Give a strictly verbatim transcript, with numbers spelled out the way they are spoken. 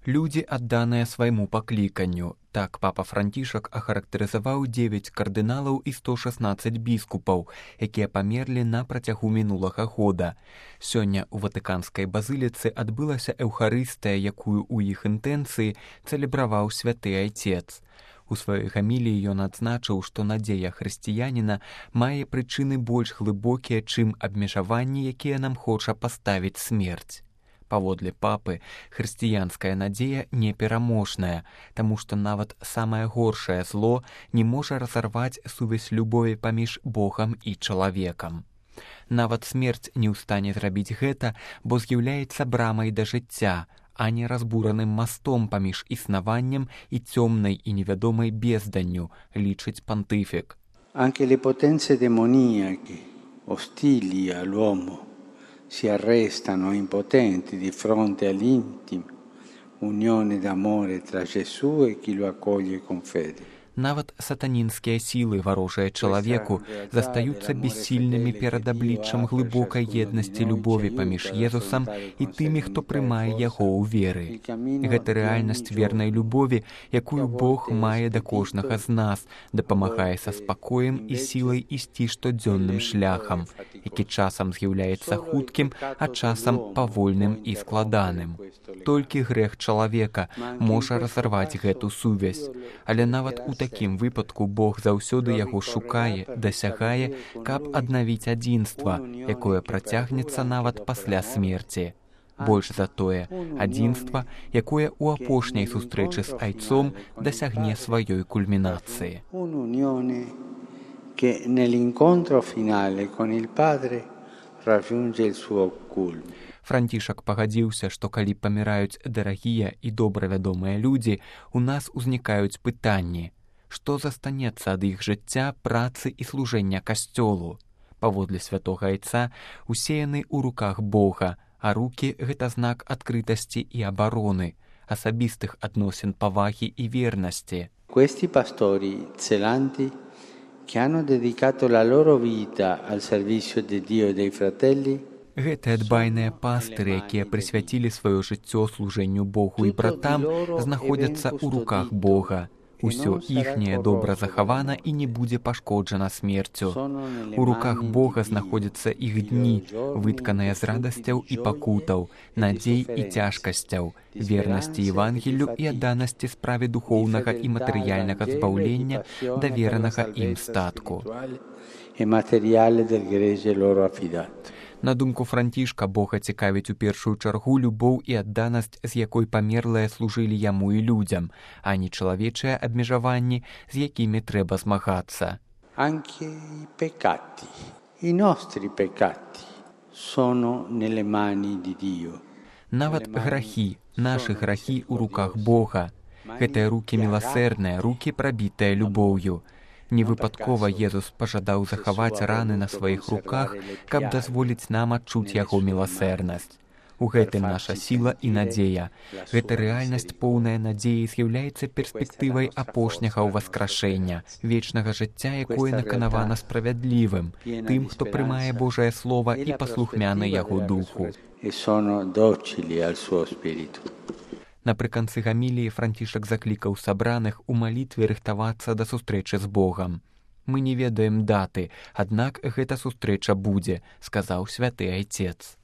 Людзі, адданыя свайму пакліканню. Так папа Францішак ахарактарызаваў дзевяць кардыналаў і сто шаснаццаць біскупаў, якія памерлі на працягу мінулага года. Сёння ў Ватыканскай базыліцы адбылася эўхарыстыя, якую ў іх інтэнцыі цэлебраваў святы айцец. У сваёй гаміліі ён адзначыў, што надзея хрысціяніна мае прычыны больш глыбокія, чым абмежаванні, якія нам хоча паставіць смерць. Паводле папы, хрысціянская надзея непераможная, таму што нават самае горшае зло не можа разарваць сувязь любові паміж Богам і чалавекам. Нават смерць не ў стане зрабіць гэта, бо з'яўляецца брамай да жыцця, а не разбураным мастом паміж існаваннем і цёмнай і невядомай безданню, лічыць пантыфік. Anche le potenze demoniache, ostili all'uomo, si arrestano impotenti di fronte all'intima unione d'amore tra Gesù e chi lo accoglie con fede. Нават сатанінскія сілы, варожыя чалавеку, застаюцца бессільнымі перад абліччам глыбокай еднасці любові паміж Езусам і тымі, хто прымае яго ў веры. Гэта рэальнасць вернай любові, якую Бог мае да кожнага з нас, дапамагае са спакоем і сілай ісці штодзённым шляхам, які часам з'яўляецца хуткім, а часам павольным і складаным. Толькі грэх чалавека можа разарваць гэту сувязь, але нават у такім выпадку Бог заўсёды яго шукае, дасягае, каб аднавіць адзінства, якое працягнецца нават пасля смерці. Больш за тое, адзінства, якое ў апошняй сустрэчы з айцом дасягне сваёй кульмінацыі. Che nell'incontro finale con il Padre raggiunge il suo culmine. Францішак пагадзіўся, што калі паміраюць дарагія і добра вядомыя людзі, у нас узнікаюць пытанні, што застанецца ад іх жыцця, працы і служэння касцёлу. Паводле святога айца усеяны ў руках Бога, а рукі — гэта знак адкрытасці і абароны, асабістых адносін павагі і вернасці. Questi pastori zelanti che hanno dedicato la loro vita al servizio di Dio e dei fratelli. Гэтыя дбайныя пастыры, якія прысвяцілі сваё жыццё служэнню Богу і братам, знаходзяцца ў руках Бога. Усё іхняе добра захавана і не будзе пашкоджана смерцю. У руках Бога знаходзяцца іх дні, вытканыя з радасцяў і пакутаў, надзей і цяжкасцяў, вернасці Евангелю і адданасці справе духоўнага і матэрыяльнага збаўлення, даверанага ім статку. На думку Францішка, Бога цікавіць у першую чаргу любоў і адданасць, з якой памерлыя служылі яму і людзям, а не чалавечыя абмежаванні, з якімі трэба змагацца. Anche i peccati, i nostri peccati, sono nelle mani di Dio. Нават грахі, нашы грахі ў руках Бога. Гэтыя рукі міласэрныя, рукі прабітыя любоўю. Невыпадкова Езус пажадаў захаваць раны на сваіх руках, каб дазволіць нам адчуць яго міласэрнасць. У гэтым наша сіла і надзея. Гэта рэальнасць поўная надзеі з'яўляецца перспектывай апошняга ўваскрашэння, вечнага жыцця, якое наканавана справядлівым, тым, хто прымае Божае Слова і паслухмяны яго духу. Напрыканцы гаміліі Францішак заклікаў сабраных у малітве рыхтавацца да сустрэчы з Богам. «Мы не ведаем даты, аднак гэта сустрэча будзе», — сказаў святы айцец.